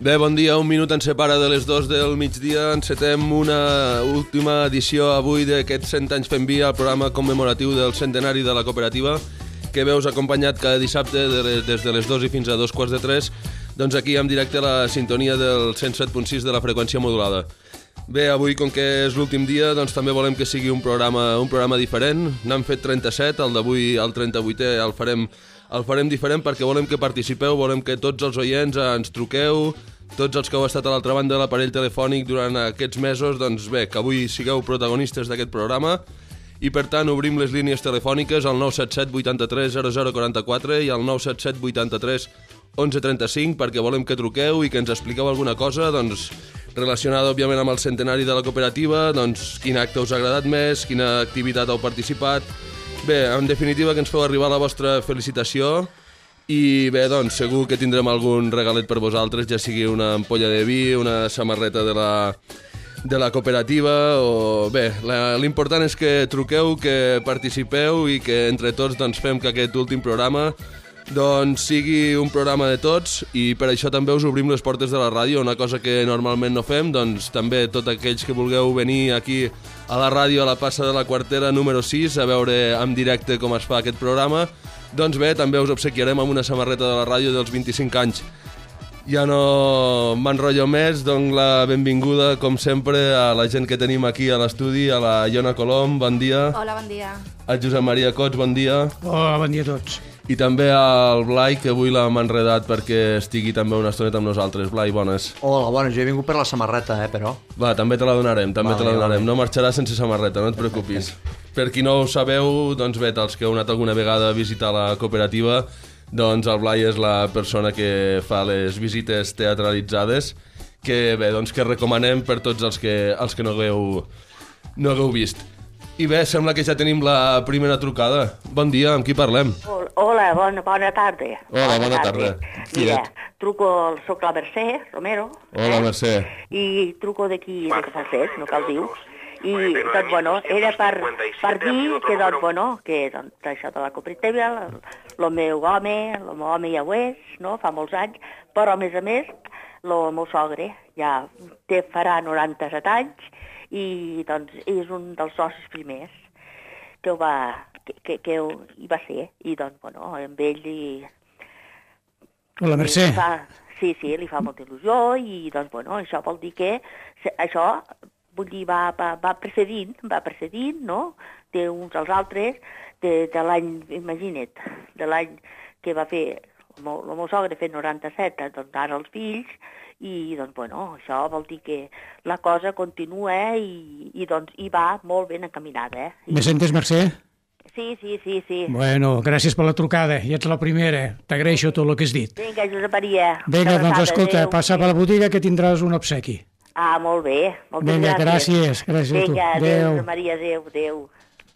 Bé, bon dia, un minut ens separa de les 2 del migdia. Encetem una última edició avui d'aquests 100 anys fent via, el programa commemoratiu del centenari de la cooperativa, que veus acompanyat cada dissabte des de les 2 i fins a 2:15, doncs aquí en directe a la sintonia del 107.6 de la freqüència modulada. Bé, avui, com que és l'últim dia, doncs també volem que sigui un programa diferent. N'hem fet 37, el d'avui, el 38è, el farem diferent perquè volem que participeu, volem que tots els oients ens truqueu, tots els que heu estat a l'altra banda de l'aparell telefònic durant aquests mesos, doncs bé, que avui sigueu protagonistes d'aquest programa. I per tant obrim les línies telefòniques al 977 83 0044 i al 977 83 1135 perquè volem que truqueu i que ens expliqueu alguna cosa, doncs, relacionada, òbviament, amb el centenari de la cooperativa, doncs, quin acte us ha agradat més, quina activitat heu participat. Bé, en definitiva, que ens feu arribar la vostra felicitació i bé, doncs, segur que tindrem algun regalet per vosaltres, ja sigui una ampolla de vi, una samarreta de la cooperativa o... Bé, l'important és que truqueu, que participeu i que entre tots doncs, fem que aquest últim programa doncs sigui un programa de tots i per això també us obrim les portes de la ràdio, una cosa que normalment no fem, doncs també tots aquells que vulgueu venir aquí a la ràdio a la plaça de la Quartera número 6 a veure en directe com es fa aquest programa, doncs bé, també us obsequiarem amb una samarreta de la ràdio dels 25 anys. Ja no m'enrotllo més, dono la benvinguda, com sempre, a la gent que tenim aquí a l'estudi, a la Iona Colom, bon dia. Hola, bon dia. A Josep Maria Cots, bon dia. Hola, bon dia a tots. I també al Blai, que avui l'hem enredat perquè estigui també una estoneta amb nosaltres. Blai, bones. Hola, bones. Jo he vingut per la samarreta, però... Va, també te la donarem, Vale. No marxaràs sense samarreta, no et preocupis. Per qui no ho sabeu, doncs bé, els que heu anat alguna vegada a visitar la cooperativa, doncs el Blai és la persona que fa les visites teatralitzades, que bé, doncs que recomanem per tots els que no hagueu vist. I bé, sembla que ja tenim la primera trucada. Bon dia, amb qui parlem? Hola, bona tarda. Hola, bona tarda. Mira, soc la Mercè Romero. Hola, Mercè. I truco d'aquí, de Casalset, no cal dir. I, doncs, bueno, era per dir que, doncs, bueno, que doncs, això de la cooperativa, el meu home ja ho és, no?, fa molts anys, però, a més, el meu sogre ja farà 97 anys i, doncs, és un dels socis primers que hi va ser. I, doncs, bueno, amb ell Hola, Mercè. Sí, li fa molta il·lusió i, doncs, bueno, això vol dir que això, vull dir, va precedint, no?, d'uns als altres, de l'any, imagina't, de l'any que va fer el meu sogre fer 97, doncs ara els fills, i doncs, bueno, això vol dir que la cosa continua i doncs hi va molt ben encaminada, Me sentes, Mercè? Sí. Bueno, gràcies per la trucada, ja ets la primera, t'agraeixo tot el que has dit. Vinga, Josep Maria. Vinga, doncs escolta, passa per la botiga que tindràs un obsequi. Ah, molt bé, moltes Vinga, gràcies. Gràcies a tu. Vinga, adéu, Josep Maria, adéu.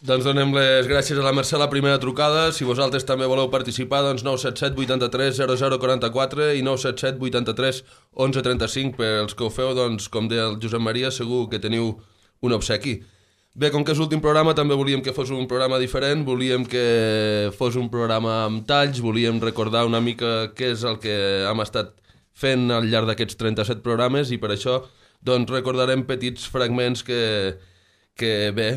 Doncs donem les gràcies a la Mercè a la primera trucada. Si vosaltres també voleu participar, doncs 977 83 0044 i 977 83 1135. Per als que ho feu, doncs, com deia el Josep Maria, segur que teniu un obsequi. Bé, com que és l'últim programa, també volíem que fos un programa diferent, volíem que fos un programa amb talls, volíem recordar una mica què és el que hem estat fent al llarg d'aquests 37 programes i per això doncs, recordarem petits fragments que bé,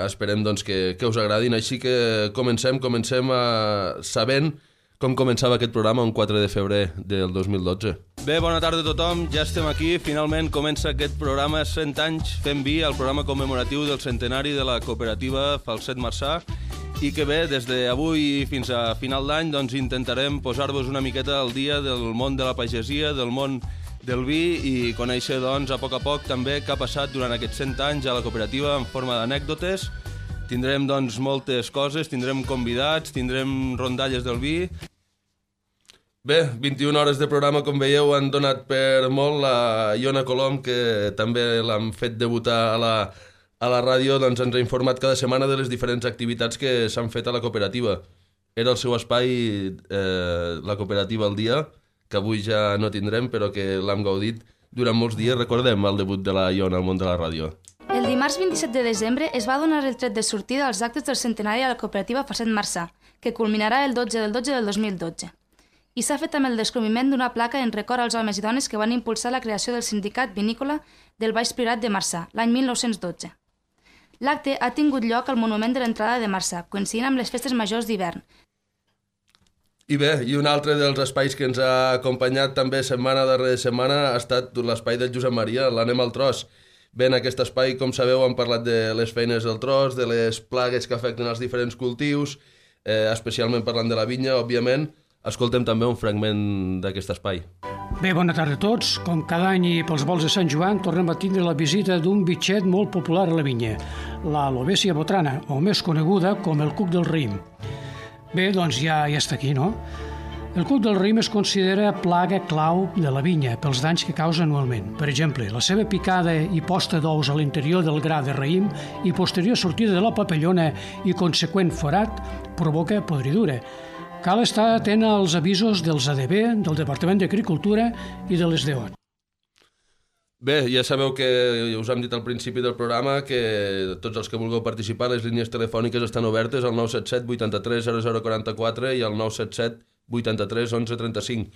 esperem doncs, que us agradin. Així que comencem sabent com començava aquest programa un 4 de febrer del 2012. Bé, bona tarda a tothom, ja estem aquí. Finalment comença aquest programa 100 anys fent via, el programa commemoratiu del centenari de la cooperativa Falset Marçà, i que bé, des d'avui fins a final d'any doncs, intentarem posar-vos una miqueta al dia del món de la pagesia, del món del vi i conèixer doncs, a poc també què ha passat durant aquests 100 anys a la cooperativa en forma d'anècdotes. Tindrem doncs, moltes coses, tindrem convidats, tindrem rondalles del vi. Bé, 21 hores de programa, com veieu, han donat per molt. La Iona Colom, que també l'han fet debutar a la ràdio, doncs ens ha informat cada setmana de les diferents activitats que s'han fet a la cooperativa. Era el seu espai, la cooperativa al dia, que avui ja no tindrem, però que l'hem gaudit durant molts dies. Recordem el debut de la Iona al món de la ràdio. El dimarts 27 de desembre es va donar el tret de sortida als actes del centenari a la cooperativa Falset Marçà, que culminarà el 12 del 12 del 2012. i s'ha fet amb el descobriment d'una placa en record als homes i dones que van impulsar la creació del sindicat vinícola del Baix Priorat de Marçà, l'any 1912. L'acte ha tingut lloc al monument de l'entrada de Marçà, coincidint amb les festes majors d'hivern. I bé, i un altre dels espais que ens ha acompanyat també setmana darrere setmana ha estat l'espai del Josep Maria, l'Anem al Tros. Bé, en aquest espai, com sabeu, hem parlat de les feines del tros, de les plagues que afecten els diferents cultius, especialment parlant de la vinya, òbviament. Escoltem també un fragment d'aquest espai. Bé, bona tarda a tots. Com cada any i pels vols de Sant Joan, tornem a tindre la visita d'un bitxet molt popular a la vinya, la Lobesia botrana, o més coneguda com el cuc del raïm. Bé, doncs ja està aquí, no? El cuc del raïm es considera plaga clau de la vinya pels danys que causa anualment. Per exemple, la seva picada i posta d'ous a l'interior del gra de raïm i posterior sortida de la papallona i conseqüent forat provoca podridura. Cal estar atent als avisos dels ADB, del Departament d'Agricultura i de les DO. Bé, ja sabeu que us hem dit al principi del programa que tots els que vulgueu participar, les línies telefòniques estan obertes al 977 83 0044 i al 977 83 11 35.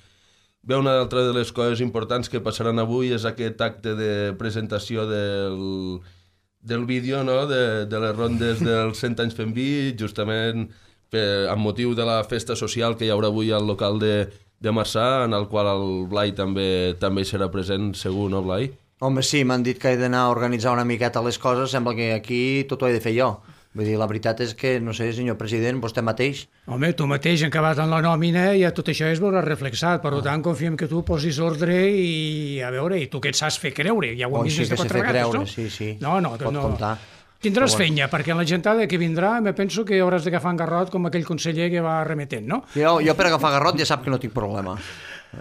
Bé, una altra de les coses importants que passaran avui és aquest acte de presentació del vídeo, no?, de les rondes dels 100 anys fent vi, justament amb motiu de la festa social que hi haurà avui al local de Marçà, en el qual el Blai també hi serà present, segur, no, Blai? Home, sí, m'han dit que he d'anar a organitzar una miqueta les coses, sembla que aquí tot ho he de fer jo. Vull dir, la veritat és que, no sé, senyor president, vostè mateix... Home, tu mateix, acabat en la nòmina, i tot això es veurà reflexat. Per tant, confiem que tu posis ordre i, a veure, i tu que et saps fer creure. Ja ho hem vist des de 4 vegades, no? Sí. No, pot comptar. Tindràs feina, perquè en la gentada que vindrà me penso que hauràs d'agafar en garrot com aquell conseller que va remetent, no? Jo per agafar garrot ja sap que no tinc problema.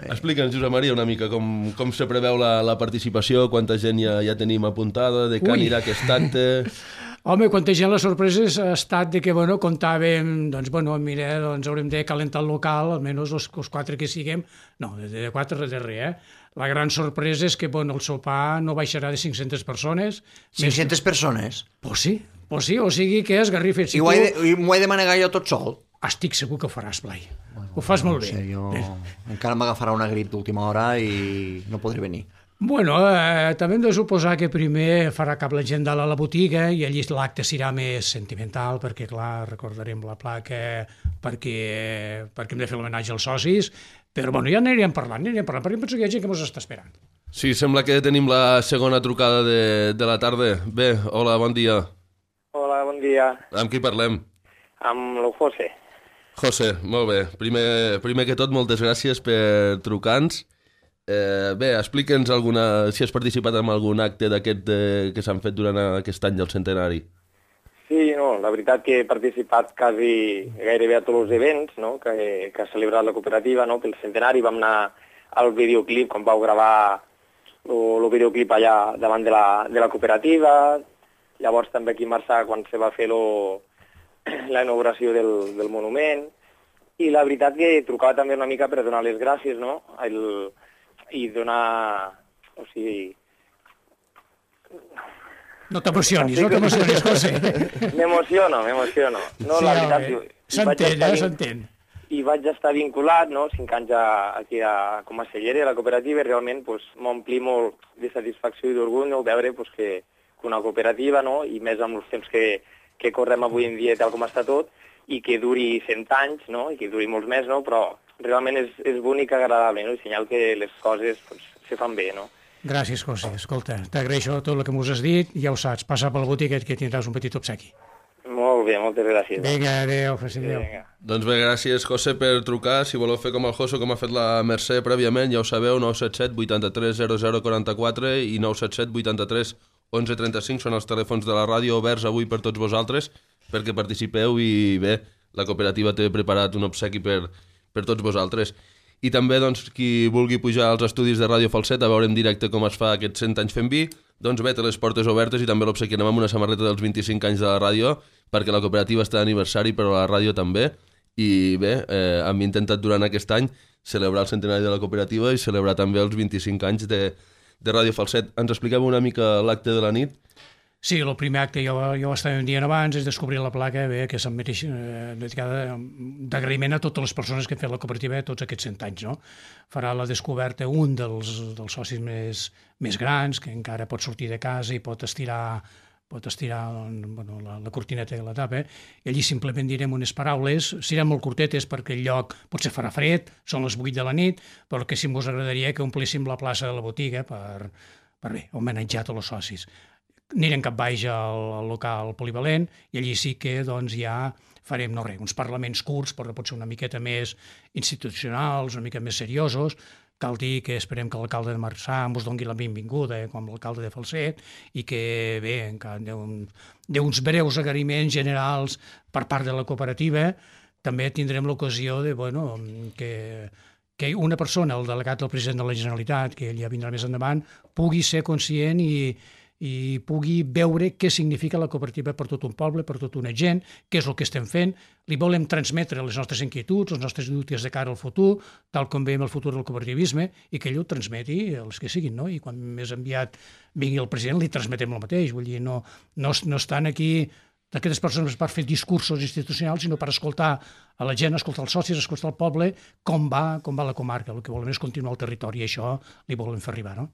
Explica'ns, Josep Maria, una mica com se preveu la participació, quanta gent ja tenim apuntada, de què anirà aquest acte... Home, quanta gent, la sorpresa ha estat de que, comptàvem, mira, haurem de calentar el local, almenys els 4 que siguem, no, de 4 de res, La gran sorpresa és que, el sopar no baixarà de 500 persones. 500 persones? Pues sí, o sigui que és garrifa. I m'ho he de manegar jo tot sol? Estic segur que ho faràs, Blai. Ho fas molt bé. Encara m'agafarà una grip d'última hora i no podré venir. També hem de suposar que primer farà cap la gent dalt a la botiga i allí l'acte serà més sentimental perquè, clar, recordarem la placa perquè hem de fer l'homenatge als socis, però ja anirem parlant, perquè penso que hi ha gent que ens està esperant. Sí, sembla que tenim la segona trucada de la tarda. Bé, hola, bon dia. Hola, bon dia. Amb qui parlem? Amb el José. José, molt bé. Primer que tot, moltes gràcies per trucar-nos. Bé, explica'ns si has participat en algun acte d'aquest que s'han fet durant aquest any del centenari. Sí, la veritat que he participat gairebé a tots els events que ha celebrat la cooperativa pel centenari. Vam anar al videoclip, quan vau gravar el videoclip allà davant de la cooperativa. Llavors també aquí a Marçà, quan se va fer la inauguració del monument. I la veritat que trucava també una mica per donar les gràcies, i donar... O sigui... No t'emocionis, José. M'emociono. No, la veritat... S'entén. I vaig estar vinculat, 5 anys aquí com a celler de la cooperativa, i realment m'ompli molt de satisfacció i d'orgull veure que una cooperativa, i més amb els temps que correm avui en dia tal com està tot, i que duri 100 anys, i que duri molts més, però realment és bonic i agradable, i senyal que les coses se fan bé, Gràcies, José. Escolta, t'agraeixo tot el que m'ho has dit, ja ho saps, passa pel botiquet que tindràs un petit obsequi. Molt bé, moltes gràcies. Vinga, adéu. Doncs bé, gràcies, José, per trucar. Si voleu fer com el José, com ha fet la Mercè prèviament, ja ho sabeu, 977 83 0044 i 977 83 11 35 són els telèfons de la ràdio oberts avui per tots vosaltres perquè participeu i bé, la cooperativa té preparat un obsequi per tots vosaltres. I també, qui vulgui pujar als estudis de Ràdio Falset a veure en directe com es fa aquests 100 anys fent vi, bé, té les portes obertes i també l'obsequiem amb una samarreta dels 25 anys de la ràdio, perquè la cooperativa està d'aniversari, però la ràdio també. I bé, hem intentat durant aquest any celebrar el centenari de la cooperativa i celebrar també els 25 anys de Ràdio Falset. Ens expliqueu una mica l'acte de la nit? Sí, el primer acte, jo estava un dia abans, és descobrir la placa que se'm mereix dedicada d'agraïment a totes les persones que han fet la cooperativa tots aquests 100 anys. No? Farà la descoberta un dels socis més grans, que encara pot sortir de casa i pot estirar la cortineta de la tapa, i allí simplement direm unes paraules, seran molt curtetes perquè el lloc potser farà fred, són les 8 de la nit, però que sí que us agradaria que omplíssim la plaça de la botiga per homenatjar tots els socis. Anirem cap baix al local polivalent i allí sí que ja farem uns parlaments curts, però potser una miqueta més institucionals, una mica més seriosos. Cal dir que esperem que l'alcalde de Marçà ens doni la benvinguda, com l'alcalde de Falset, i que d'uns breus agraïments generals per part de la cooperativa. També tindrem l'ocasió que una persona, el delegat del president de la Generalitat, que ell ja vindrà més endavant, pugui ser conscient i pugui veure què significa la cooperativa per tot un poble, per tota una gent, què és el que estem fent. Li volem transmetre les nostres inquietuds, els nostres dubtes de cara al futur, tal com veiem el futur del cooperativisme, i que ell ho transmeti als que siguin, no? I quan més aviat vingui el president li transmetem el mateix. Vull dir, no estan aquí d'aquestes persones per fer discursos institucionals, sinó per escoltar a la gent, escoltar els socis, escoltar el poble, com va la comarca. El que volem és continuar el territori i això li volem fer arribar, no?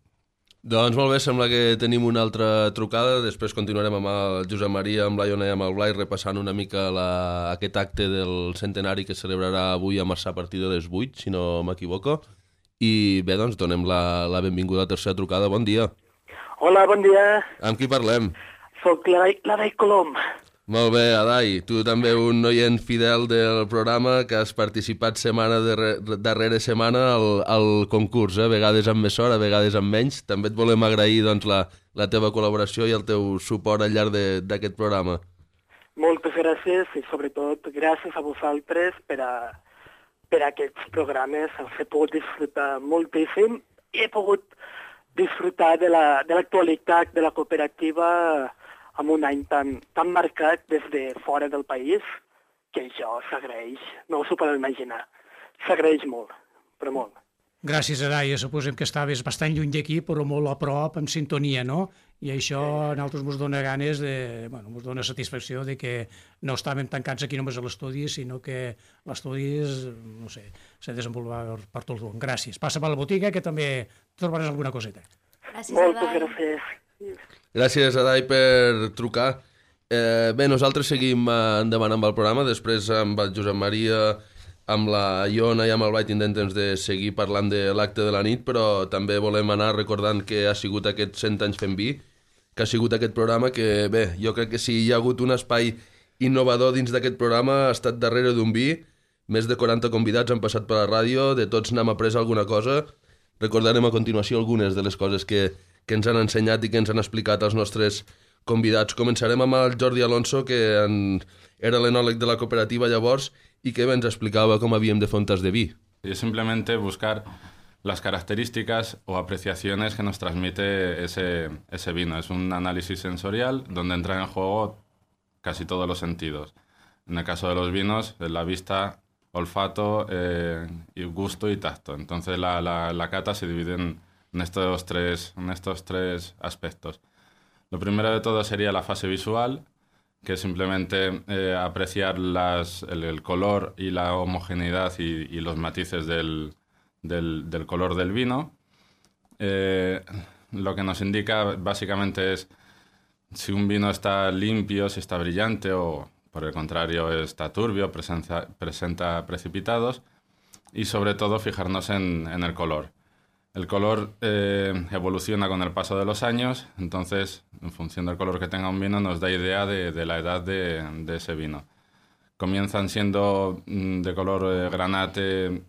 Doncs molt bé, sembla que tenim una altra trucada, després continuarem amb el Josep Maria, amb la Iona i amb el Blai, repassant una mica aquest acte del centenari que celebrarà avui a Marçà a partir de les 8, si no m'equivoco. I bé, doncs donem la benvinguda a la tercera trucada. Bon dia. Hola, bon dia. Amb qui parlem? Soc l'Adai Colom. Molt bé, Adai, tu també un oient fidel del programa que has participat setmana darrere setmana al concurs, a vegades amb més hora, a vegades amb menys. També et volem agrair la teva col·laboració i el teu suport al llarg d'aquest programa. Moltes gràcies i sobretot gràcies a vosaltres per aquests programes. He pogut disfrutar moltíssim i he pogut disfrutar de l'actualitat de la cooperativa amb un any tan marcat des de fora del país, que això s'agraeix, no us ho podeu imaginar. S'agraeix molt, però molt. Gràcies, Adai. Suposem que estaves bastant lluny d'aquí, però molt a prop, en sintonia, no? I això a nosaltres ens dona ganes ens dona satisfacció de que no estàvem tancats aquí només a l'estudi, sinó que l'estudi s'ha desenvolupat per tot el món. Gràcies. Passa per la botiga, que també trobaràs alguna coseta. Gràcies, Moltes gràcies. Gràcies, Adai, per trucar. Bé, nosaltres seguim endavant amb el programa, després amb el Josep Maria, amb la Iona i amb el Blai tindrem temps de seguir parlant de l'acte de la nit, però també volem anar recordant que ha sigut aquests 100 anys fent vi, que ha sigut aquest programa que, bé, jo crec que si hi ha hagut un espai innovador dins d'aquest programa ha estat darrere d'un vi, més de 40 convidats han passat per la ràdio, de tots n'hem après alguna cosa. Recordarem a continuació algunes de les coses que ens han ensenyat i que ens han explicat els nostres convidats. Començarem amb el Jordi Alonso, que era l'enòleg de la cooperativa llavors y que ens explicaba cómo havíem de fer un tas de vi. Es simplemente buscar las características o apreciaciones que nos transmite ese vino. Es un análisis sensorial donde entran en juego casi todos los sentidos. En el caso de los vinos, la vista, olfato, y gusto y tacto. Entonces la cata se divide en estos tres aspectos. Lo primero de todo sería la fase visual, que es simplemente apreciar el color y la homogeneidad y los matices del color del vino. Lo que nos indica básicamente es si un vino está limpio, si está brillante o por el contrario está turbio, presenta precipitados, y sobre todo fijarnos en el color. El color evoluciona con el paso de los años, entonces en función del color que tenga un vino nos da idea de la edad de ese vino. Comienzan siendo de color granate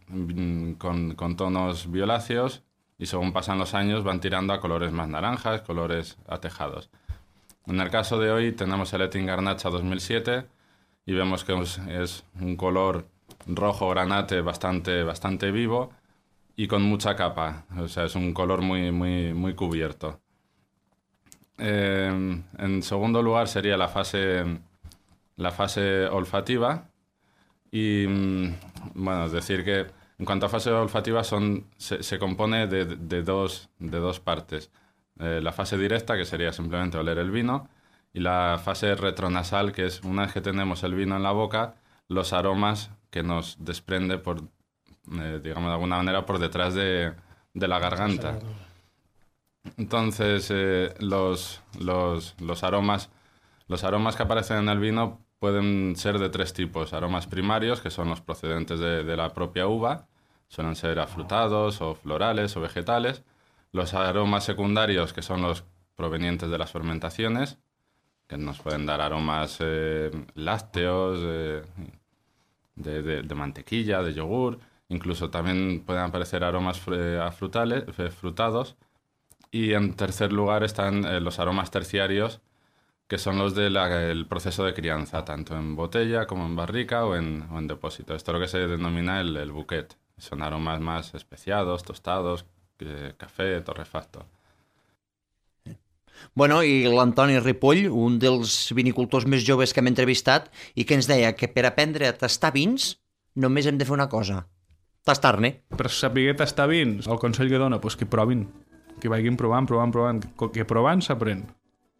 con tonos violáceos y según pasan los años van tirando a colores más naranjas, colores atejados. En el caso de hoy tenemos el Ettin Garnacha 2007 y vemos que es un color rojo granate bastante vivo y con mucha capa, o sea, es un color muy cubierto. En segundo lugar sería la fase olfativa y, bueno, es decir que en cuanto a fase olfativa se compone de dos partes. La fase directa, que sería simplemente oler el vino, y la fase retronasal, que es una vez que tenemos el vino en la boca, los aromas que nos desprende por, digamos de alguna manera, por detrás de la garganta. Entonces, los aromas que aparecen en el vino pueden ser de 3 tipos. Aromas primarios, que son los procedentes de la propia uva, suelen ser afrutados o florales o vegetales. Los aromas secundarios, que son los provenientes de las fermentaciones, que nos pueden dar aromas lácteos, de mantequilla, de yogur. Incluso también pueden aparecer aromas frutados. Y en tercer lugar están los aromas terciarios, que son los del proceso de crianza, tanto en botella como en barrica o en depósito. Esto es lo que se denomina el bouquet. Son aromas más especiados, tostados, café, torrefacto. Bueno, i l'Antoni Ripoll, un dels vinicultors més joves que hem entrevistat, i que ens deia que per aprendre a tastar vins només hem de fer una cosa, tastar-ne. Per saber tastar vins, el consell que dona, que provin, que vagin provant, que provant s'aprèn.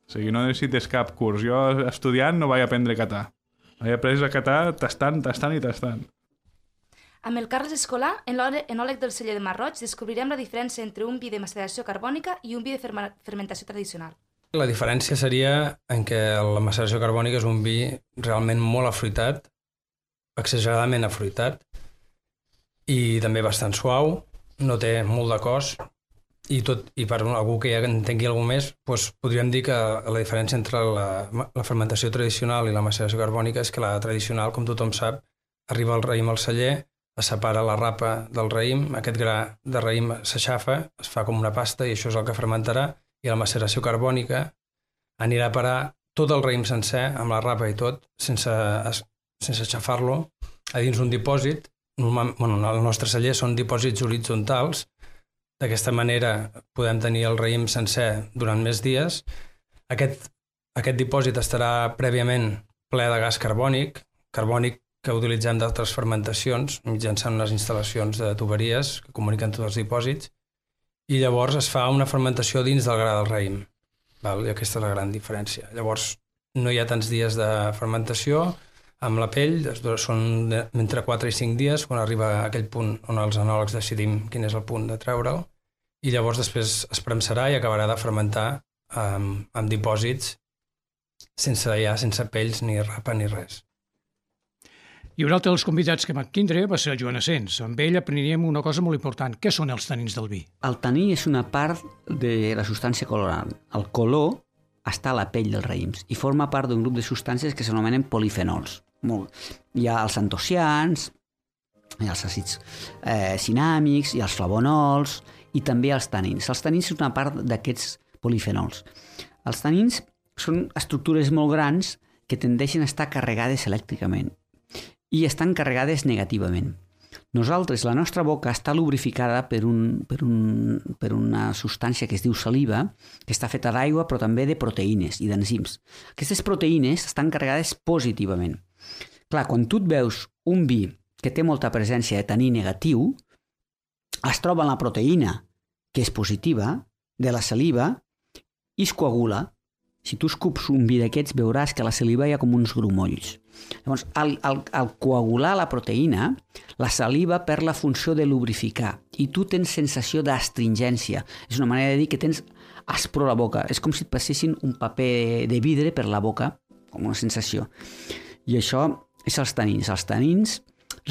O sigui, no necessites cap curs. Jo, estudiant, no vaig aprendre a catar. Vaig aprendre a catar tastant i tastant. Amb el Carles Escolà, enòleg del celler de Marroig, descobrirem la diferència entre un vi de maceració carbònica i un vi de fermentació tradicional. La diferència seria en què la maceració carbònica és un vi realment molt afruitat, exageradament afruitat, i també bastant suau, no té molt de cos, i per algú que ja entengui alguna més, podríem dir que la diferència entre la fermentació tradicional i la maceració carbònica és que la tradicional, com tothom sap, arriba el raïm al celler, es separa la rapa del raïm, aquest gra de raïm s'aixafa, es fa com una pasta i això és el que fermentarà, i la maceració carbònica anirà a parar tot el raïm sencer, amb la rapa i tot, sense aixafar-lo, a dins un dipòsit. El nostre celler són dipòsits horitzontals. D'aquesta manera podem tenir el raïm sencer durant més dies. Aquest dipòsit estarà prèviament ple de gas carbònic que utilitzem d'altres fermentacions mitjançant unes instal·lacions de tuberies que comuniquen tots els dipòsits, i llavors es fa una fermentació dins del gra del raïm. I aquesta és la gran diferència. Llavors no hi ha tants dies de fermentació amb la pell, són entre 4 i 5 dies quan arriba a aquell punt on els enòlegs decidim quin és el punt de treure'l, i llavors després es premsarà i acabarà de fermentar amb dipòsits sense pells ni rapa ni res. I un altre dels convidats que vam tindre va ser el Joan Asens. Amb ell aprendríem una cosa molt important. Què són els tanins del vi? El taní és una part de la substància colorant. El color està a la pell dels raïms i forma part d'un grup de substàncies que s'anomenen polifenols. Hi ha els antocians, hi ha els àcids cinàmics, hi ha els flavonols i també els tanins. Els tanins són una part d'aquests polifenols. Els tanins són estructures molt grans que tendeixen a estar carregades elèctricament i estan carregades negativament. Nosaltres, la nostra boca està lubrificada per una substància que es diu saliva, que està feta d'aigua però també de proteïnes i d'enzims. Aquestes proteïnes estan carregades positivament. Clar, quan tu et veus un vi que té molta presència de taní negatiu, es troba en la proteïna, que és positiva, de la saliva, i es coagula. Si tu escups un vi d'aquests veuràs que a la saliva hi ha com uns grumolls. Llavors, al coagular la proteïna, la saliva perd la funció de lubrificar i tu tens sensació d'astringència. És una manera de dir que tens aspro a la boca. És com si et passessin un paper de vidre per la boca, com una sensació. I això és els tanins. Els tanins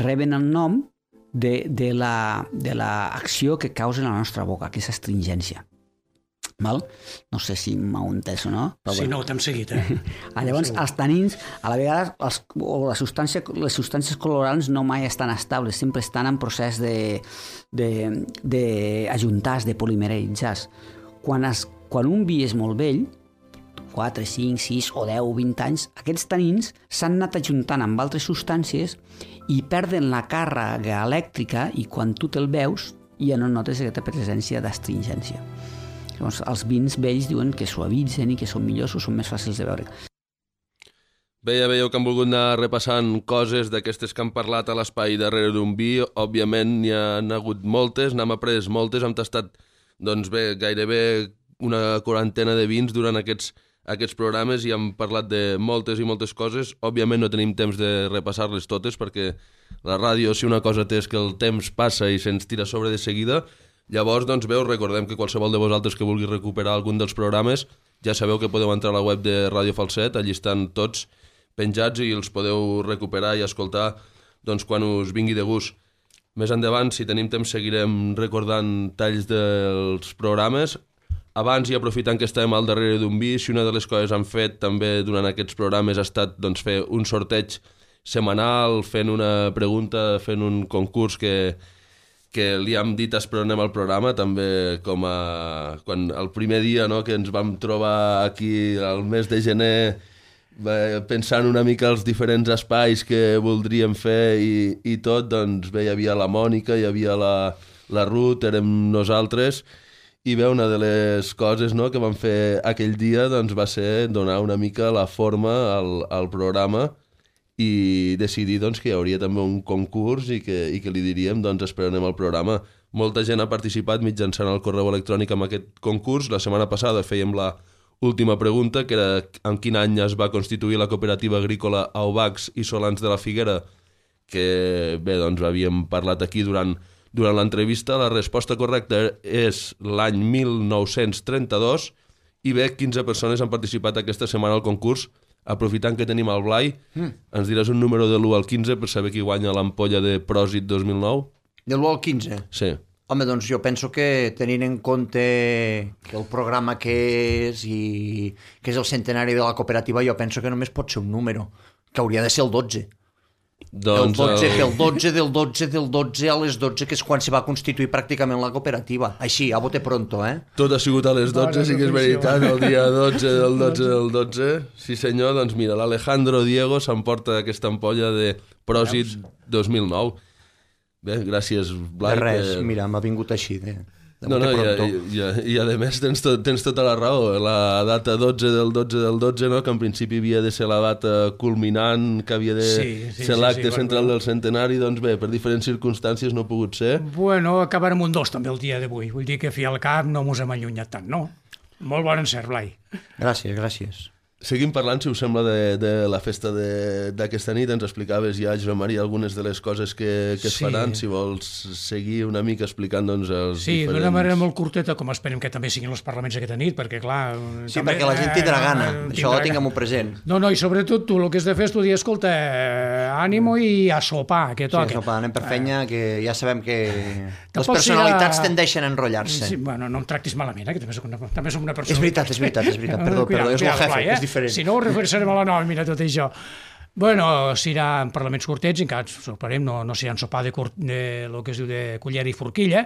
reben el nom de l'acció que causen a la nostra boca, que és astringència. Val? No sé si m'heu entès o no. Sí, no, t'hem seguit. Llavors, els tanins, a la vegada, les substàncies colorants no mai estan estables, sempre estan en procés d'ajuntar-se, de polimeritzar-se. Quan un vi és molt vell, 4, 5, 6 o 10 o 20 anys, aquests tanins s'han anat ajuntant amb altres substàncies i perden la càrrega elèctrica i quan tu te'l veus ja no notes aquesta presència d'astringència. Llavors, els vins vells diuen que suavitzen i que són millors o són més fàcils de veure. Bé, ja veieu que han volgut anar repassant coses d'aquestes que han parlat a l'espai darrere d'un vi. Òbviament n'hi ha hagut moltes, n'hem après moltes, hem tastat gairebé una quarantena de vins durant aquests aquests programes i hem parlat de moltes i moltes coses. Òbviament no tenim temps de repassar-les totes perquè la ràdio, si una cosa té és que el temps passa i se'ns tira sobre de seguida. Llavors, doncs, recordem que qualsevol de vosaltres que vulgui recuperar algun dels programes ja sabeu que podeu entrar a la web de Ràdio Falset, allí estan tots penjats i els podeu recuperar i escoltar doncs, quan us vingui de gust. Més endavant, si tenim temps, seguirem recordant talls dels programes. Abans, i aprofitant que estàvem al darrere d'un vi, si una de les coses han fet també durant aquests programes ha estat doncs, fer un sorteig setmanal, fent una pregunta, fent un concurs que li hem dit esprenem al programa, també com quan el primer dia, no, que ens vam trobar aquí al mes de gener pensant una mica els diferents espais que voldríem fer i tot, doncs bé, hi havia la Mònica, hi havia la Ruth, érem nosaltres, i bé, una de les coses, no, que vam fer aquell dia doncs, va ser donar una mica la forma al programa i decidir doncs, que hi hauria també un concurs i que li diríem doncs, esperarem el programa. Molta gent ha participat mitjançant el correu electrònic amb aquest concurs. La setmana passada fèiem la última pregunta, que era en quin any es va constituir la cooperativa agrícola Aubacs i Solans de la Figuera, que bé, doncs havíem parlat aquí durant l'entrevista. La resposta correcta és l'any 1932 i bé, 15 persones han participat aquesta setmana al concurs. Aprofitant que tenim el Blai, ens diràs un número de l'1 al 15 per saber qui guanya l'ampolla de Pròsit 2009? De l'1 al 15? Sí. Home, doncs jo penso que tenint en compte que el programa que és i que és el centenari de la cooperativa, jo penso que només pot ser un número, que hauria de ser el 12. Doncs del 12 a les 12, que és quan se va constituir pràcticament la cooperativa. Així, a bote pronto, eh? Tot ha sigut a les 12, sí que és veritat, el dia 12 del 12. Sí senyor, doncs mira, l'Alejandro Diego s'emporta aquesta ampolla de Pròsit 2009. Bé, gràcies, Blai. De res, mira, m'ha vingut així, No, i a més tens tota la raó. La data 12 del 12, no? Que en principi havia de ser la data culminant, que havia de ser l'acte central del centenari, doncs bé, per diferents circumstàncies no ha pogut ser. Bueno, acabarem un 2 també el dia d'avui. Vull dir que fi al cap no mos hem allunyat tant, no? Molt bon encert, Blai. Gràcies. Seguim parlant, si us sembla, de la festa d'aquesta nit. Ens explicaves ja, Josep Maria, algunes de les coses que es faran. Si vols seguir una mica explicant doncs, els diferents... d'una manera molt curteta, com esperem que també siguin els parlaments aquesta nit, perquè clar... Sí, també, perquè la gent tindrà gana, això ho tinguem-ho present. No, i sobretot tu el que has de fer és tu dir, escolta, ànimo i a sopar, que toca. Sí, a sopar, anem per fenya, que ja sabem que les personalitats tendeixen a enrotllar-se. Sí, bueno, no em tractis malament, que també som una persona... És veritat, perdó, és el jefe, és diferent. Si no, ho referirem a la nòmina, tot això. Bueno, s'irà en parlaments curtets, encara sorprèiem, no s'irà en sopar de lo que es diu de cullera i forquilla,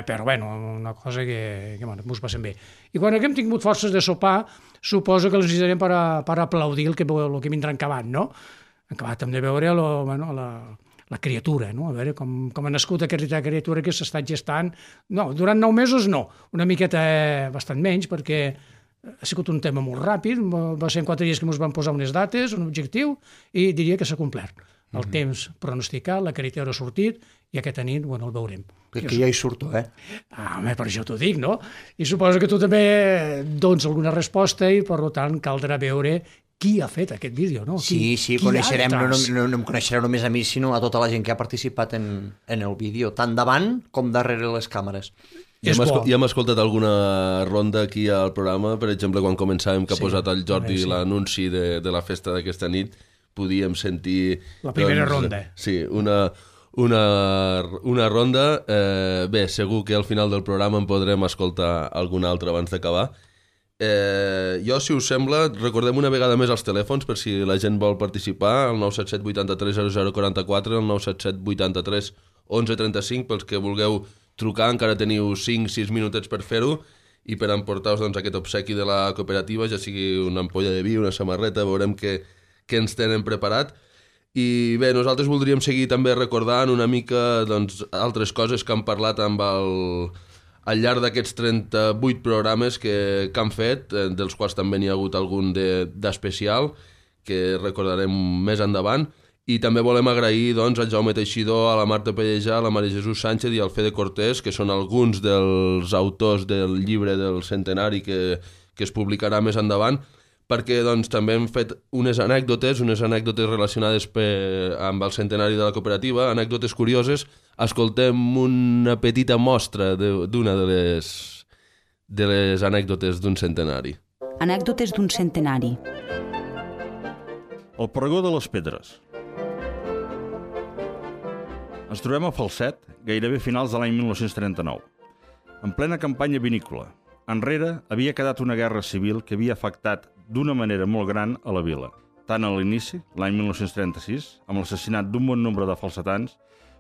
però bueno, una cosa que mos passem bé. I quan haguem tingut forces de sopar, suposo que els necessitarem per aplaudir el que vindrà acabat, no? Acabat hem de veure la criatura, no? A veure com ha nascut aquesta criatura que s'ha estat gestant. No, durant 9 mesos no, una miqueta bastant menys, perquè ha sigut un tema molt ràpid, va ser en 4 dies que ens van posar unes dates, un objectiu, i diria que s'ha complert. El temps pronosticat, la criatura ha sortit, i aquesta nit, bueno, el veurem. Que ja hi surto, eh? Home, per això t'ho dic, no? I suposo que tu també dones alguna resposta i, per tant, caldrà veure qui ha fet aquest vídeo, no? Sí, coneixerem, no em coneixereu només a mi, sinó a tota la gent que ha participat en el vídeo, tant davant com darrere les càmeres. Ja hem escoltat alguna ronda aquí al programa, per exemple, quan començàvem que ha posat el Jordi l'anunci de la festa d'aquesta nit, podíem sentir... La primera ronda. Sí, una ronda. Bé, segur que al final del programa en podrem escoltar alguna altra abans d'acabar. Jo, si us sembla, recordem una vegada més els telèfons per si la gent vol participar, el 977 83 0044, el 977 83 1135, pels que vulgueu trucar, encara teniu 5-6 minutets per fer-ho i per emportar-vos doncs, aquest obsequi de la cooperativa, ja sigui una ampolla de vi, una samarreta, veurem què ens tenen preparat. I bé, nosaltres voldríem seguir també recordant una mica doncs, altres coses que han parlat amb al llarg d'aquests 38 programes que han fet, dels quals també n'hi ha hagut algun d'especial, que recordarem més endavant. I també volem agrair doncs, al Jaume Teixidor, a la Marta Pellejà, a la Maria Jesús Sánchez i al Fede Cortés, que són alguns dels autors del llibre del centenari que es publicarà més endavant. perquè doncs, també hem fet unes anècdotes relacionades amb el centenari de la cooperativa, anècdotes curioses. Escoltem una petita mostra d'una de les anècdotes d'un centenari. Anècdotes d'un centenari. El pregó de les pedres. Ens trobem a Falset, gairebé finals de l'any 1939, en plena campanya vinícola. Enrere havia quedat una guerra civil que havia afectat d'una manera molt gran a la vila, tant a l'inici, l'any 1936, amb l'assassinat d'un bon nombre de falsetans,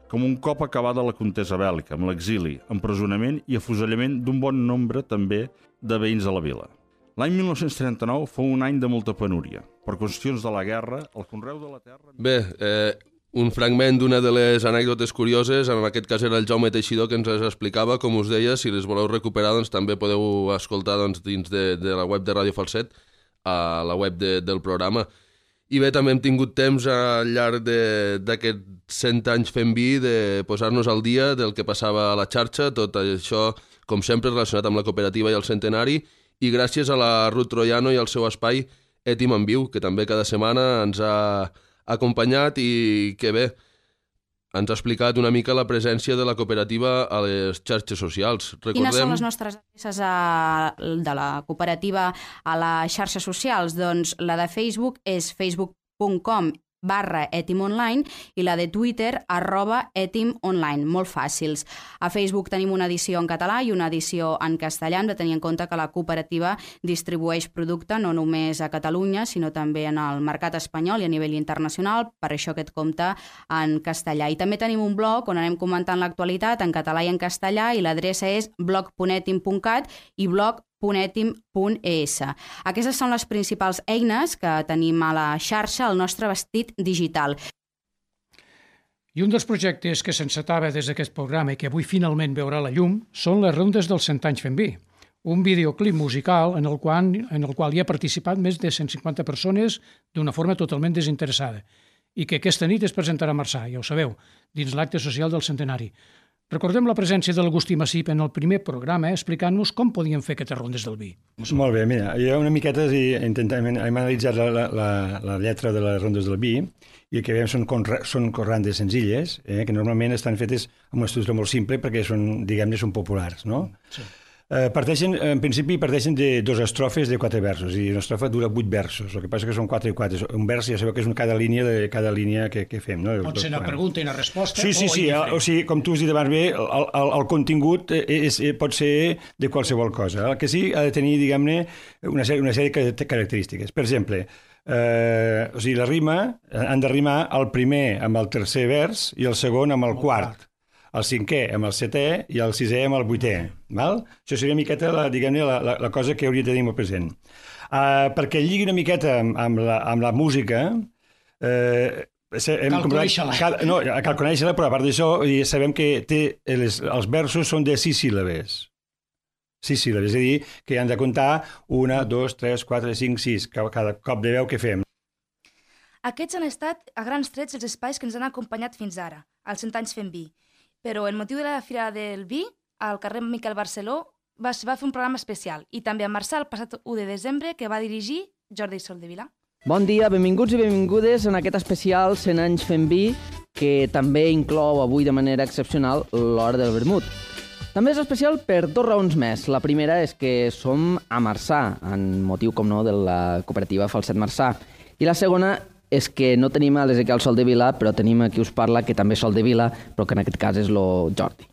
com un cop acabada la contesa bèl·lica, amb l'exili, empresonament i afusellament d'un bon nombre també de veïns de la vila. L'any 1939 fou un any de molta penúria. Per qüestions de la guerra, el conreu de la terra... Bé, un fragment d'una de les anècdotes curioses, en aquest cas era el Jaume Teixidor que ens les explicava, com us deia, si les voleu recuperar doncs, també podeu escoltar doncs, dins de la web de Ràdio Falset, a la web del programa. I bé, també hem tingut temps al llarg d'aquests 100 anys fent vi de posar-nos al dia del que passava a la xarxa, tot això, com sempre, relacionat amb la cooperativa i el centenari, i gràcies a la Ruth Troiano i al seu espai Ètim en Viu, que també cada setmana ens ha acompanyat i que bé, ens ha explicat una mica la presència de la cooperativa a les xarxes socials. Quines són les nostres adreces de la cooperativa a les xarxes socials? Doncs la de Facebook és facebook.com/etimonline i la de Twitter @etimonline, molt fàcils. A Facebook tenim una edició en català i una edició en castellà. Hem de tenir en compte que la cooperativa distribueix producte no només a Catalunya, sinó també en el mercat espanyol i a nivell internacional, per això aquest compte en castellà. I també tenim un blog on anem comentant l'actualitat en català i en castellà i l'adreça és blog.etim.cat i blog.etim.es. Aquestes són les principals eines que tenim a la xarxa al nostre vestit digital. I un dels projectes que s'encetava des d'aquest programa i que avui finalment veurà la llum són les rondes dels 100 anys fent vi. Un videoclip musical en el qual hi ha participat més de 150 persones d'una forma totalment desinteressada i que aquesta nit es presentarà a Marçà, ja ho sabeu, dins l'acte social del centenari. Recordem la presència de l'Agustí Massip en el primer programa explicant-nos com podíem fer aquestes rondes del vi. Molt bé, mira, jo una miqueta hem analitzat la lletra de les rondes del vi i el que veiem són corrandes senzilles, que normalment estan fetes amb una estructura molt simple perquè són, diguem-ne, són populars, no? Sí. En principi parteixen de 2 estrofes de 4 versos i una estrofa dura 8 versos, el que passa que són 4 i 4, un vers ja sabeu que és cada línia que fem. No? Pot ser una pregunta i una resposta? Sí, o sigui, com tu has dit abans bé, el contingut pot ser de qualsevol cosa, el que sí ha de tenir, diguem-ne, una sèrie de característiques. Per exemple, o sigui, la rima han de rimar el primer amb el tercer vers i el segon amb el quart, el 5è amb el 7è i el 6è amb el 8è. Val? Això seria una miqueta, diguem-ne, la cosa que hauria de tenir molt present. Perquè lligui una miqueta amb la música, cal conèixer-la. No, cal conèixer-la, però a part d'això sabem que els versos són de 6 síl·labes. 6 síl·labes, és a dir, que han de comptar 1, 2, 3, 4, 5, 6, cada cop de veu que fem. Aquests han estat, a grans trets, els espais que ens han acompanyat fins ara, als 100 anys fent vi. Però el motiu de la Fira del Vi, al carrer Miquel Barceló, va fer un programa especial, i també a Marçà el passat 1 de desembre, que va dirigir Jordi Soldevila. Bon dia, benvinguts i benvingudes en aquest especial 100 anys fent vi, que també inclou avui de manera excepcional l'hora del vermut. També és especial per 2 raons més. La primera és que som a Marçà, en motiu, com no, de la cooperativa Falset Marçà. I la segona és que no tenim a l'Ezequiel Soldevila, però tenim a qui us parla, que també és Soldevila, però que en aquest cas és el Jordi.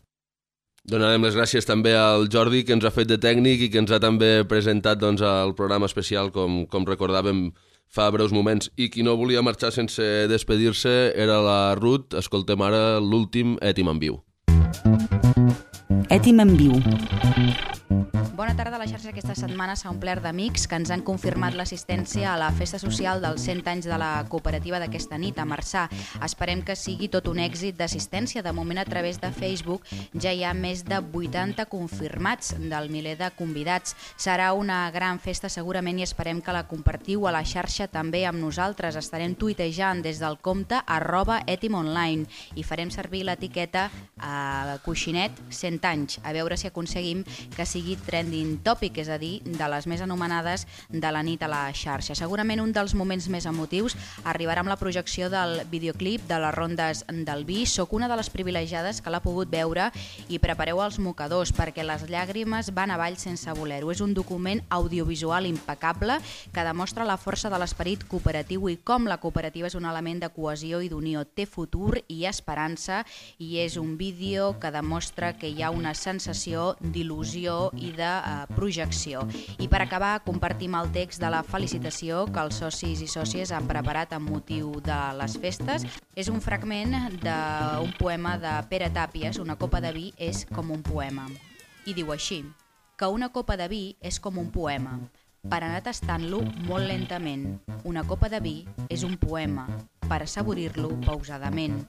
Donarem les gràcies també al Jordi, que ens ha fet de tècnic i que ens ha també presentat doncs, el programa especial, com recordàvem fa breus moments. I qui no volia marxar sense despedir-se era la Ruth. Escoltem ara l'últim Ètim en Viu. Ètim en Viu. Bona tarda. La xarxa aquesta setmana s'ha omplert d'amics que ens han confirmat l'assistència a la festa social dels 100 anys de la cooperativa d'aquesta nit a Marçà. Esperem que sigui tot un èxit d'assistència. De moment, a través de Facebook ja hi ha més de 80 confirmats del miler de convidats. Serà una gran festa segurament i esperem que la compartiu a la xarxa també amb nosaltres. Estarem tuitejant des del compte @etimonline i farem servir l'etiqueta coixinet 100 anys, a veure si aconseguim que sigui trend Trending Topic, és a dir, de les més anomenades de la nit a la xarxa. Segurament un dels moments més emotius arribarà amb la projecció del videoclip de les rondes del vi. Soc una de les privilegiades que l'ha pogut veure i prepareu els mocadors perquè les llàgrimes van avall sense voler-ho. És un document audiovisual impecable que demostra la força de l'esperit cooperatiu i com la cooperativa és un element de cohesió i d'unió. Té futur i esperança i és un vídeo que demostra que hi ha una sensació d'il·lusió i de projecció. I per acabar, compartim el text de la felicitació que els socis i sòcies han preparat amb motiu de les festes. És un fragment d'un poema de Pere Tàpies, Una copa de vi és com un poema. I diu així, que una copa de vi és com un poema, per anar tastant-lo molt lentament. Una copa de vi és un poema, per assaborir-lo pausadament.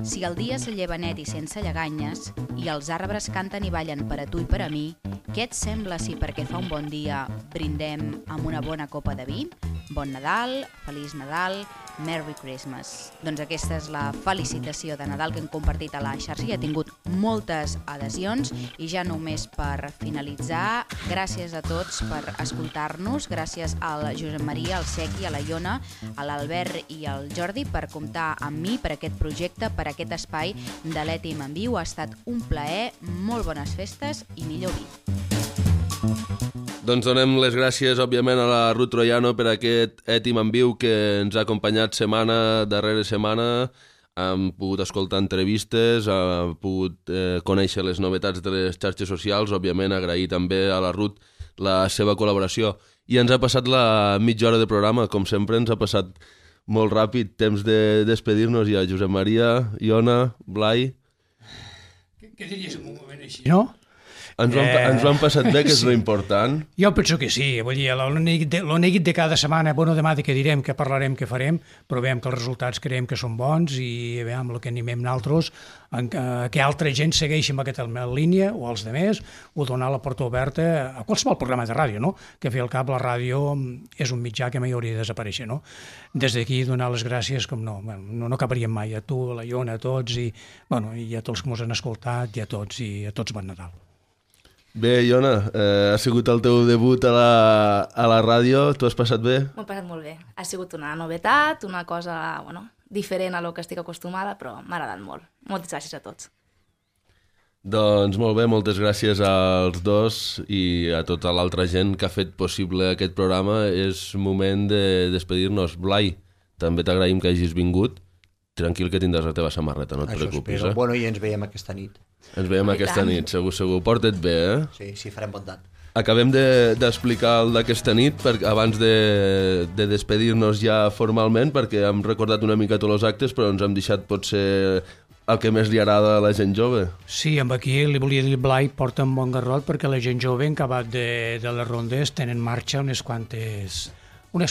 Si el dia se lleva net i sense lleganyes, i els arbres canten i ballen per a tu i per a mi, què et sembla si perquè fa un bon dia brindem amb una bona copa de vi? Bon Nadal, Feliç Nadal, Merry Christmas. Doncs aquesta és la felicitació de Nadal que hem compartit a la xarxa i ha tingut moltes adhesions i ja només per finalitzar, gràcies a tots per escoltar-nos, gràcies al Josep Maria, al Sequi, a la Iona, a l'Albert i al Jordi per comptar amb mi per aquest projecte, per aquest espai de l'Ètim en Viu. Ha estat un plaer, molt bones festes i millor vi. Doncs donem les gràcies, òbviament, a la Ruth Troiano per aquest Ètim en Viu que ens ha acompanyat setmana darrere setmana. Hem pogut escoltar entrevistes, hem pogut conèixer les novetats de les xarxes socials, òbviament agrair també a la Ruth la seva col·laboració. I ens ha passat la mitja hora de programa, com sempre ens ha passat molt ràpid, temps de despedir-nos ja. Josep Maria, Iona, Blai... Què diries en un moment així, no? Ens ho han passat bé, que és l'important. Jo penso que sí, vull dir, l'onèguit de cada setmana, bueno, demà de què direm, què parlarem, què farem, però veiem que els resultats creiem que són bons i veiem el que animem nosaltres, que altra gent segueixi amb aquesta línia, o els demés, o donar la porta oberta a qualsevol programa de ràdio, no? Que al cap la ràdio és un mitjà que mai hauria de desaparèixer, no? Des d'aquí donar les gràcies, com no acabaríem mai, a tu, a la Iona, a tots, i a tots que ens han escoltat, i a tots bon Nadal. Bé, Iona, ha sigut el teu debut a la ràdio, t'ho has passat bé? M'ho he passat molt bé. Ha sigut una novetat, una cosa diferent a lo que estic acostumada, però m'ha agradat molt. Moltes gràcies a tots. Doncs molt bé, moltes gràcies als dos i a tota l'altra gent que ha fet possible aquest programa. És moment de despedir-nos. Blai, també t'agraïm que hagis vingut. Tranquil, que tindràs la teva samarreta, no et preocupis. Això espero. Bueno, i ens veiem aquesta nit. Ens veiem aquesta nit, segur. Porta't bé, eh? Sí, farem bondat. Acabem d'explicar el d'aquesta nit abans de despedir-nos ja formalment, perquè hem recordat una mica tots els actes, però ens hem deixat potser el que més li agrada a la gent jove. Sí, amb aquí li volia dir, Blai, porta un bon garrot, perquè la gent jove, en acabat de les rondes, tenen marxa unes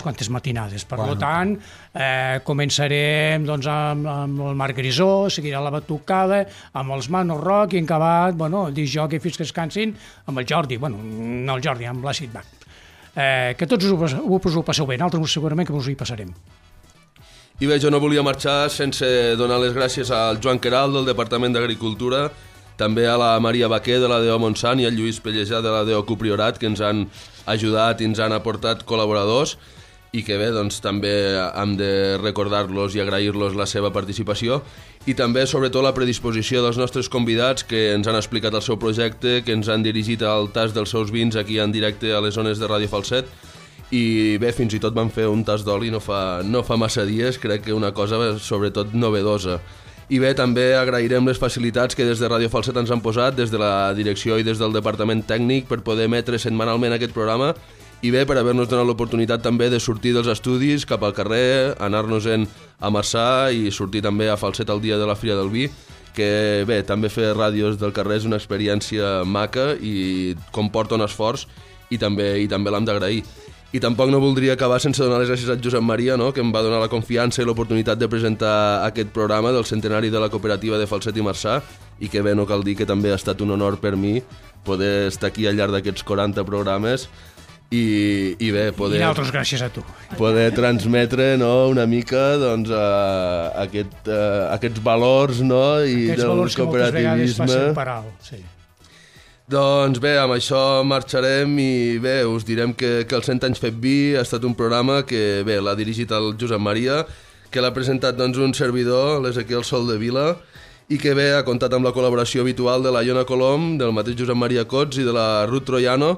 quantes matinades. Per tant, començarem amb el Marc Grisó, seguirà la batucada, amb els Mano Rock i en acabat, el disc jockey fins que es cansin, amb el Jordi, no el Jordi, amb l'Àcid Bach. Que tots us ho passeu bé, nosaltres segurament que us hi passarem. I bé, jo no volia marxar sense donar les gràcies al Joan Queralt del Departament d'Agricultura, també a la Maria Baquer de la DO Montsant i al Lluís Pellejà de la DO Cupriorat, que ens han ajudat i ens han aportat col·laboradors i que bé, doncs també hem de recordar-los i agrair-los la seva participació i també, sobretot, la predisposició dels nostres convidats que ens han explicat el seu projecte, que ens han dirigit al tast dels seus vins aquí en directe a les zones de Ràdio Falset i bé, fins i tot van fer un tast d'oli no fa massa dies, crec que una cosa sobretot novedosa. I bé, també agrairem les facilitats que des de Ràdio Falset ens han posat, des de la direcció i des del departament tècnic per poder emetre setmanalment aquest programa i bé, per haver-nos donat l'oportunitat també de sortir dels estudis cap al carrer, anar-nos-en a Marçà i sortir també a Falset el dia de la Fira del Vi, que bé, també fer ràdios del carrer és una experiència maca i comporta un esforç i també l'hem d'agrair. I tampoc no voldria acabar sense donar les gràcies a Josep Maria, que em va donar la confiança i l'oportunitat de presentar aquest programa del centenari de la cooperativa de Falset i Marçà i que bé, no cal dir que també ha estat un honor per mi poder estar aquí al llarg d'aquests 40 programes i bé, poder... I nosaltres gràcies a tu. Poder transmetre una mica aquests valors i aquests del valors cooperativisme. Que moltes vegades passen per alt, sí. Doncs bé, amb això marxarem i bé, us direm que el 100 anys fet vi ha estat un programa que bé, l'ha dirigit el Josep Maria, que l'ha presentat doncs, un servidor, l'Ezequiel Soldevila, i que bé, ha comptat amb la col·laboració habitual de la Iona Colom, del mateix Josep Maria Cots i de la Ruth Troiano,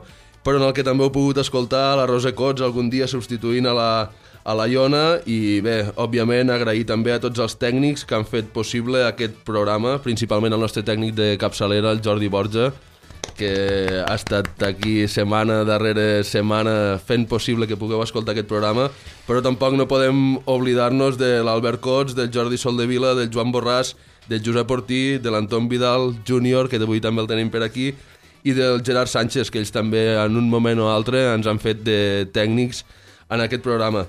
però en el que també heu pogut escoltar la Rosa Cots algun dia substituint a la Iona i bé, òbviament agrair també a tots els tècnics que han fet possible aquest programa, principalment el nostre tècnic de capçalera, el Jordi Borja, que ha estat aquí setmana darrere setmana fent possible que pugueu escoltar aquest programa, però tampoc no podem oblidar-nos de l'Albert Cots, del Jordi Soldevila, del Joan Borràs, del Josep Ortí, de l'Anton Vidal Júnior, que avui també el tenim per aquí, i del Gerard Sánchez, que ells també en un moment o altre ens han fet de tècnics en aquest programa.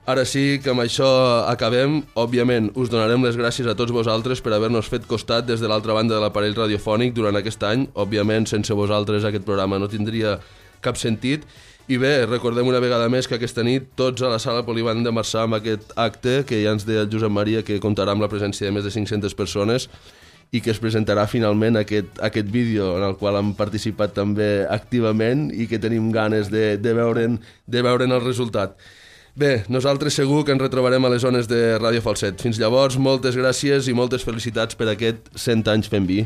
Ara sí que amb això acabem. Òbviament us donarem les gràcies a tots vosaltres per haver-nos fet costat des de l'altra banda de l'aparell radiofònic durant aquest any. Òbviament sense vosaltres aquest programa no tindria cap sentit. I bé, recordem una vegada més que aquesta nit tots a la sala Polivalent de Marçà amb aquest acte que ja ens deia el Josep Maria que comptarà amb la presència de més de 500 persones i que es presentarà finalment aquest vídeo en el qual hem participat també activament i que tenim ganes de veure'n el resultat. Bé, nosaltres segur que ens retrobarem a les zones de Ràdio Falset. Fins llavors, moltes gràcies i moltes felicitats per aquest 100 anys fent vi.